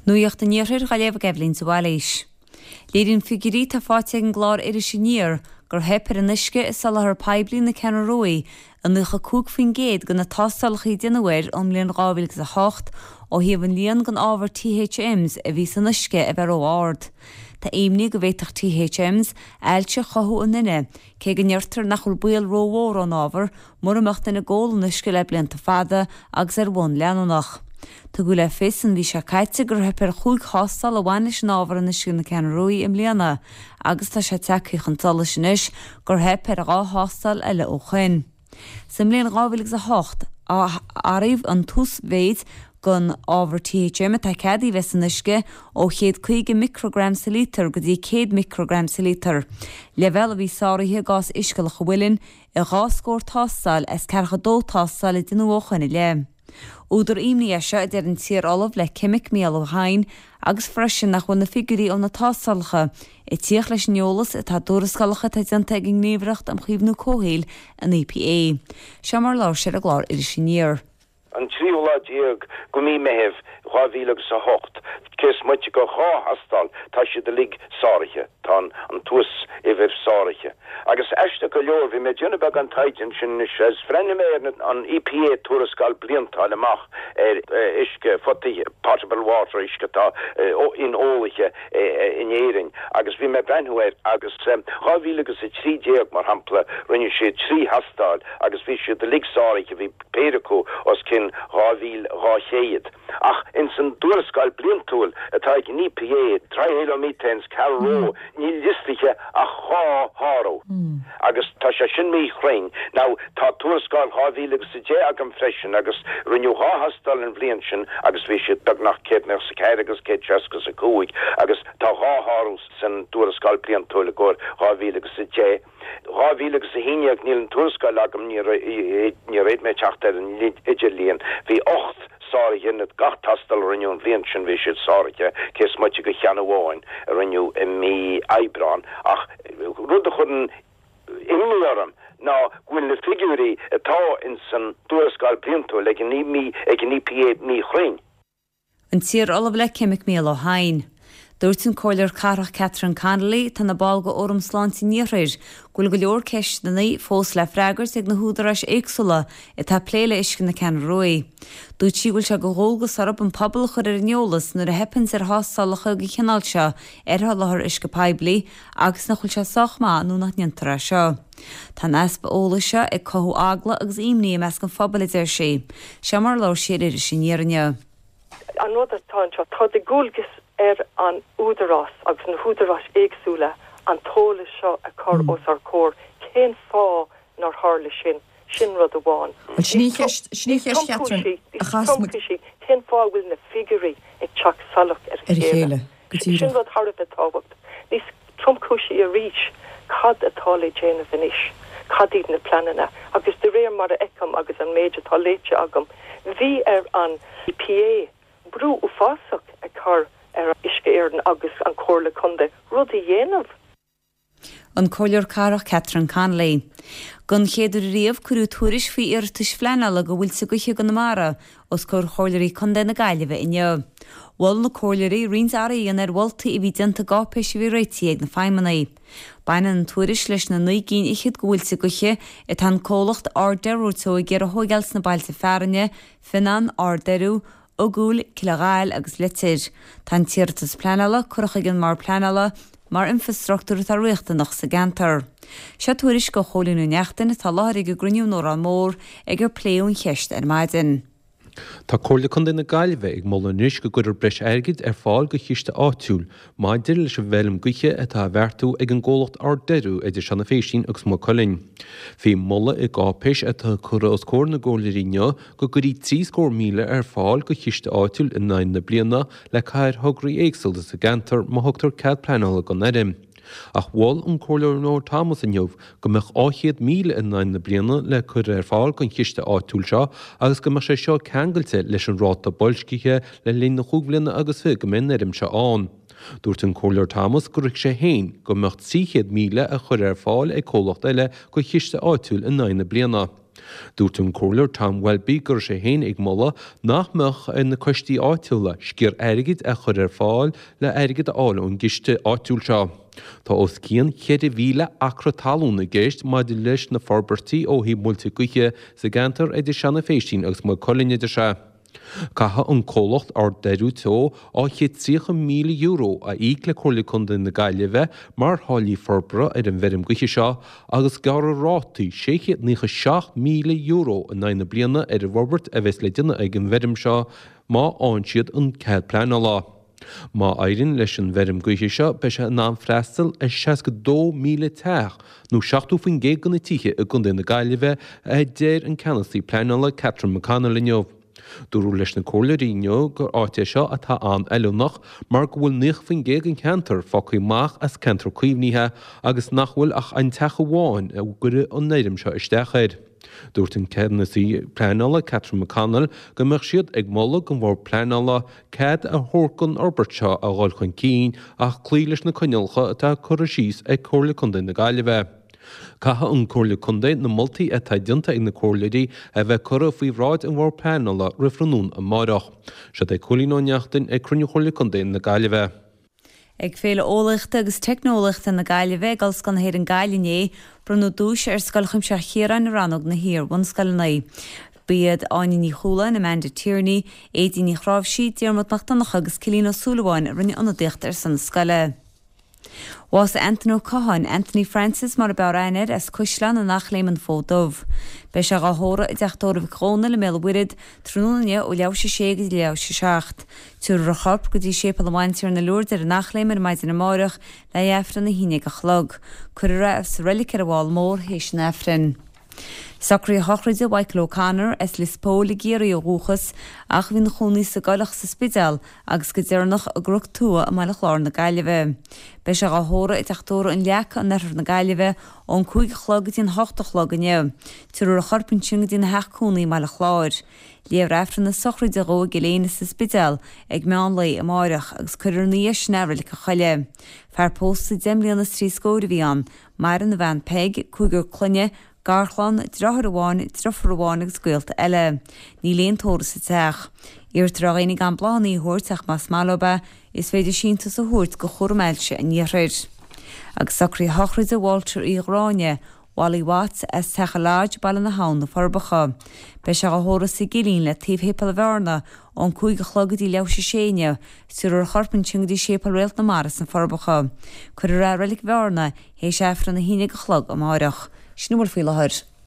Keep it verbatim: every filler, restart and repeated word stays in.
Nuacht an Iarthair á léamh ag Eibhlín de Bhailís. Léiríonn figiúirí atá faighte ag an gclár Iris Aniar gur theip ar an uisce i soláthar poiblí na Ceathrún Rua i nócha cúig faoin gcéad de na tástálacha a déanadh air ón mbliain dhá mhíle agus a hocht ó thaobh an líon den ábhar THMs a bhí san uisce a bheith ró-ard. Tá imní go bhféadfadh THMs ailse a chothú i nduine, cé go ndeirtear nach bhfuil baol rómhór ón ábhar mura mbeadh duine ag ól an uisce le blianta fada agus ar bhonn leanúnach. Tugadh le fios an mhí seo caite gur theip ar chúig thástáil a bhain leis an ábhar in uisce na Ceathrún Rua i mbliana, agus tá sé tagtha chun solais anois gur theip ar dhá thástáil eile ó shin. Sa mbliain dhá mhíle agus a hocht, athraíodh an t-uasmhéid den ábhar THM atá ceadaithe a bheith san uisce ó chéad caoga micreagram sa lítear go dtí céad micreagram sa lítear, leibhéal a bhí sáraithe i gcás uisce Loch an Mhuilinn i dhá scór tástáil as ceathracha dó tástáil a déanadh ó shin i leith. Údar imní é seo, a deir an t-iar-ollamh le ceimic Mícheál Ó hEidhin, agus freisin nach bhfuil na figiúirí ó na tástálacha ag tíocht leis an eolas atá i dtuarascálacha atá déanta ag an nGníomhaireacht um Chaomhnú Comhshaoil, an EPA. Seo mar a labhair sé ar an gclár Iris Aniar. An tríú lá déag de mhí Meithimh dhá mhíle agus a hocht, cé is moite de dhá thástáil, tá siad uilig sáraithe, tá an t-uas-uimhir sáraithe. Agus aisteach go leor, bhí mé ag déanamh beagán taighde ansin anois agus bhreathnaigh mé ar an EPA tuarascáil bliantúil amach ar uisce photaí, potable water, uisce atá inólaithe in Éirinn, agus bhí mé ag breathnú air agus dhá mhíle agus a trí déag, mar shampla, rinne siad trí thástáil agus bhí siad uilig sáraithe, bhí péire acu os cionn dhá mhíle dhá chéad. Ach ins an dtuarascáil bliantúil atá ag an EPA, trihalomethanes, Carrow, níl liostaithe ach dhá shárú. Agus tá sé sin míchruinn. Now, tá tuarascáil dhá mhíle agus a deich agam freisin agus rinneadh dhá thástáil an bhliain sin agus bhí siad beagnach céad nócha is a ceathair agus céad seasca is a cúig agus tá dhá shárú san tuarascáil bliantúil i gcomhair dhá mhíle agus a deich. Dhá mhíle agus a haon déag, níl an tuarascáil agam, níor fhéad mé teacht ar an idirlíon, bhí ocht sáraithe ina gach tástáil a rinneadh an bhliain sin, bhí siad sáraithe, cé is moite de cheann amháin a rinneadh i mí Aibreáin. Ach rud a chuireann imní orm ná go bhfuil na figiúirí atá ins an dtuarascáil bliantúil ag an EPA míchruinn. An t-iar-ollamh le ceimic Mícheál Ó hEidhin. Dúirt an Comhairleoir Cathrach Catherine Connolly, atá ina ball de Fhóram Sláinte an Iarthair, go bhfuil go leor ceisteanna fós le freagairt ag na húdaráis éagsúla atá ag plé le uisce na Ceathrún Rua. Dúirt sí go bhfuil sé de dhualgas orthu an pobal a chur ar an eolas nuair a theipeanns ar thástálacha den chineál seo ar sholáthar uisce poiblí agus nach bhfuil sé sách maith nó nach ndéantar é seo. Tá an easpa eolais seo ag cothú eagla agus imní i measc an phobail, a deir sí. Seo mar a labhair sí ar Iris Aniar inniu. An rud atá anseo, tá de dhualgas ar an údarás agus na húdaráis éagsúla an t-eolas seo a chur os ár gcomhair. Cén fáth nár tharla sin? Sin rud amháin. Bhuel, sin í an cheist, sin í an cheist, Catherine, a chas muid. Cén fáth a bhfuil na figiúirí ag teacht salach ar a Ar a chéile? chéile, go Sin díreach. rud thar a bheith tábhachtach. Níos tromchúisí arís, cad atá le déanamh anois? Cad iad na pleananna? Agus de réir mar a fheicim agus an méid atá léite agam, bhí ar an EPA brú uafásach a chur ar Uisce Éireann agus an Chomhairle Contae rud a dhéanamh. An Comhairleoir Cathrach Catherine Connolly. Don chéad uair riamh cuireadh tuairisc faoi iarratais phleanála do mhuilte gaoithe i gConamara os comhair Chomhairleoirí Contae na Gaillimhe inniu. Mhol na comhairleoirí roinnt athruithe a dhéanamh ar mholtaí a bhí déanta i gcáipéis a bhí réitithe ag na feidhmeannaigh. Baineann an tuairisc leis na naoi gcinn fhichead de mhuilte gaoithe atá an comhlacht Ard Doiriú Teo ag iarraidh a thóigeáil sna bailte fearainne, Fionnán, Ard Doiriú, Ogúil, Cill a' Ghaill agus Leitir. Tá an t-iarratas pleanála curtha chuig an mBord Pleanála mar infreastruchtúr atá riachtanach sa gceantar. Seo tuairisc ó Chóilín Ó Neachtain atá i láthair ag an gcruinniú in Órán Mór ag ar pléadh an cheist ar maidin. Tá Comhairle Contae na Gaillimhe ag moladh anois go gcuirfear breis airgid ar fáil do chiste áitiúil maidir leis an bhfeilm gaoithe atá á bheartú ag an gcomhlacht Ard Doiriú idir Seanadh Phéisín agus Maigh Cuilinn. Bhí moladh i gcáipéis atá curtha os comhair na gcomhairleoirí inniu go gcuirfí trí scór míle ar fáil do chiste áitiúil in aghaidh na bliana le cur ar thograí éagsúla sa gceantar má thugtar cead pleanála don fheirm. Ach mhol an Comhairleoir Noel Thomas inniu go mbeadh dhá chéad míle in aghaidh na bliana le cur ar fáil don chiste áitiúil seo agus go mbeadh sé seo ceangailte leis an ráta boilscithe le linn na chúig bhliana agus fiche go mbeidh an fheirm seo ann. Dúirt an Comhairleoir Thomas gur thuig sé féin go mbeadh trí chéad míle a chur ar fáil ag comhlacht eile do chiste áitiúil in aghaidh na bliana. Dúirt an Comhairleoir Tom Welby go raibh sé féin ag moladh nach mbeadh ar na coistí áitiúla sciar airgid a chur ar fáil le airgead a fháil ón gciste áitiúil seo. Tá os cionn cheithre mhíle acra talún i gceist maidir leis na forbairtí ó thaobh muilte gaoithe sa gceantar idir Seanadh Phéistín agus Maigh Cuilinn, a deir sé. Caithfidh an comhlacht Ard-Deireadh Teo dhá chéad tríocha míle euro a íoc le Comhairle Contae na Gaillimhe mar tháillí forbartha ar an bhfeirm gaoithe seo agus gearradh rátaí sé chéad naocha seacht míle euro in aghaidh na bliana ar an bhforbairt a bheas le déanamh ag an bhfeirm seo má fhaigheann siad an cead pleanála. Má éiríonn leis an bhfeirm gaoithe seo beidh sé in ann freastal ar seasca dó míle teach nó seachtó faoin gcéad de na tithe i gContae na Gaillimhe, a deir an ceannasaí pleanála Catherine McConnell inniu. Dúradh leis na comhairleoirí inniu gur áit é seo atá an-fheiliúnach mar go bhfuil naocha faoin gcéad den cheantar fágtha amach as ceantar caomhnaithe agus nach bhfuil ach an teach amháin a gcuireadh an fheirm seo isteach air. Dúirt an ceannasaí pleanála Catherine McConnell go mbeadh siad ag moladh don Bhord Pleanála cead a thabhairt don fhorbairt seo a dhul chun cinn ach cloí leis na coinníollacha atá curtha síos ag Comhairle Contae na Gaillimhe. Caithfidh an Comhairle Contae na moltaí atá déanta ag na comhairleoirí a bheith curtha faoi bhráid an Bhord Pleanála roimh thráthnóna amárach. Seo é Cóilín Ó Neachtain ag cruinniú Chomhairle Contae na Gaillimhe. Ag Féile Eolaíochta agus Teicneolaíochta na Gaillimhe ag Ollscoil na hÉireann Gaillimh inné, bronnadh duais ar Scoil Chuimsitheach Chiaráin i rannóg na hiar-bhunscoileanna. Ba iad Áine Ní Chualáin, Amanda Tierney, Aedín Ní Chráimhsí, Diarmuid Mac Donncha agus Cillian Ó Súilleabháin a rinne ionadaíocht ar son na scoile. Bhásaigh Anthony Ó Catháin, Anthony Francis mar a b'fhearr aithne air, as Caisleán an Eachléim, An Fód Dubh. Beidh sé dhá thórramh i dteach tórraimh Mhic Dhónaill i mBéal an Mhuirthead tráthnóna inniu ó leathuair théis a sé go dtí leathuair théis a seacht. Tabharfar a chorp go dtí Séipéal an Bhantiarna Lourdes ar an Eachléim ar maidin amárach le haghaidh Aifreann a haon déag a chlog. Cuirfear é sa reilig ar an bhFál Mór théis an Aifrinn. Socruithe sochraide Mhichael O'Connor as Lios Póil i gCiarraí ó dhúchas ach a bhí ina chónaí sa gCoileach sa Spidéal agus go deireanach i gCnoc Tua i mBaile Chláir na Gaillimhe. Beidh sé dhá thórramh i dteach tórraimh An Leaca in oirthear na Gaillimhe ón cúig a chlog go dtí an hocht a chlog inniu. Tabharfar a chorp ansin go dtína theach cónaí i mBaile Chláir. Léifear Aifreann na sochraide dhó i gCill Éinne sa Spidéal ag meán lae amáireach agus cuirfear ina dhiaidh sin é i Reilig an Choilligh. Fear pósta deich mbliana is trí scóir a bhí ann. Maireann a bhean Peig, cúigear clainne, garchlann, deartháir amháin, deirfiúr amháin agus gaolta eile. Níl aon tórramh sa teach. Iarrtar ar dhaoine gan bláthanna a thabhairt ach más maith leo é, is féidir síntiús a thabhairt do Chúram Ailse an Iarthair. Agus socruithe sochraide Walter Uí Ghráinne, Wally Watts, as Teach an Lodge, Baile na hAbhann, Na Forbacha. Beidh sé dhá thórramh sa gCillín le taobh Shéipéal Bhearna ón cúig a chlog go dtí leathuair théis a sé inniu, tabharfar a chorp ansin go dtí Séipéal Réalt na Mara sna Forbacha. Cuirfear é i Reilig Bhearna théis Aifreann a haon déag a chlog amáireach. Sin a bhfuil faoi láthair.